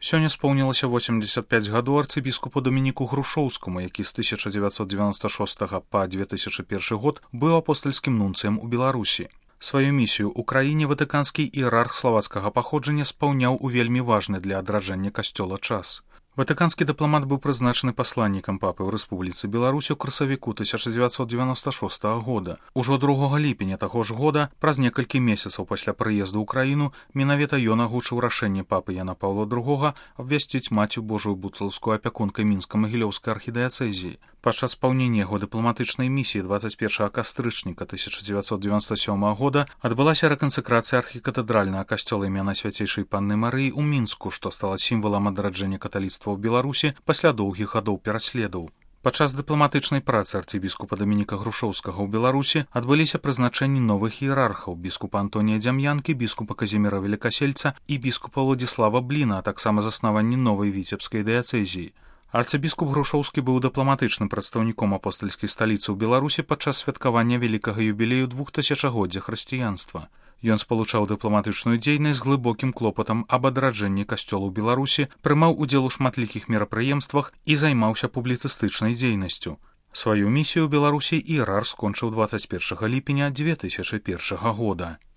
Сёння споўнілася 85 гадоў арцыбіскупу Дамініку Грушоўскаму, які з 1996 па 2001 год быў апостальскім нунцыем у Беларусі. Сваю місію ў краіне ватыканскі іерарх славацкага паходжання спаўняў у вельмі важны для адраджэння касцёла час. Ватыканскі дыпламат быў прызначаны пасланнікам папы ў Рэспубліцы Беларусь у красавіку 1996 года. Ужо 2 ліпеня таго ж года, праз некалькі месяцаў пасля прыезду ў краіну, менавіта ён агучыў рашэнне папы Яна Паўла II абвясціць Маці Божую Буцалскую апякункай мінска-магілёўскай архідыяцэзіі. Падчас спаўнення яго дыпламатычнай місіі 21 кастрычніка 1997 года адбылася рэкансакрацыя архікатэдральнага касцёла імя Свяцейшай Панны Марыі ў Мінску, што стала сімвалам адраджэння каталіцтва ў Беларусі пасля доўгіх гадоў пераследаў. Падчас дыпламатычнай працы арцыбіскупа Дамініка Грушоўскага ў Беларусі адбыліся прызначэнні новых іерархаў: біскупа Антонія Дзям'янкі, біскупа Казіміра Велікасельца і біскупа Владзіслава Бліна, а таксама заснаванні новай віцебскай дыяцэзіі. Арцыбіскуп Грушоўскі быў дыпламатычным прадстаўніком апостальскай сталіцы ў Беларусі падчас святкавання вялікага юбілею 2000-годдзя хрысціянства. Ён спалучаў дыпламатычную дзейнасць з глыбокім клопатам аб адраджэнні касцёла ў Беларусі, прымаў удзел у шматлікіх мерапрыемствах і займаўся публіцыстычнай дзейнасцю. Сваю місію ў Беларусі іерарх скончыў 21 ліпеня 2001 года.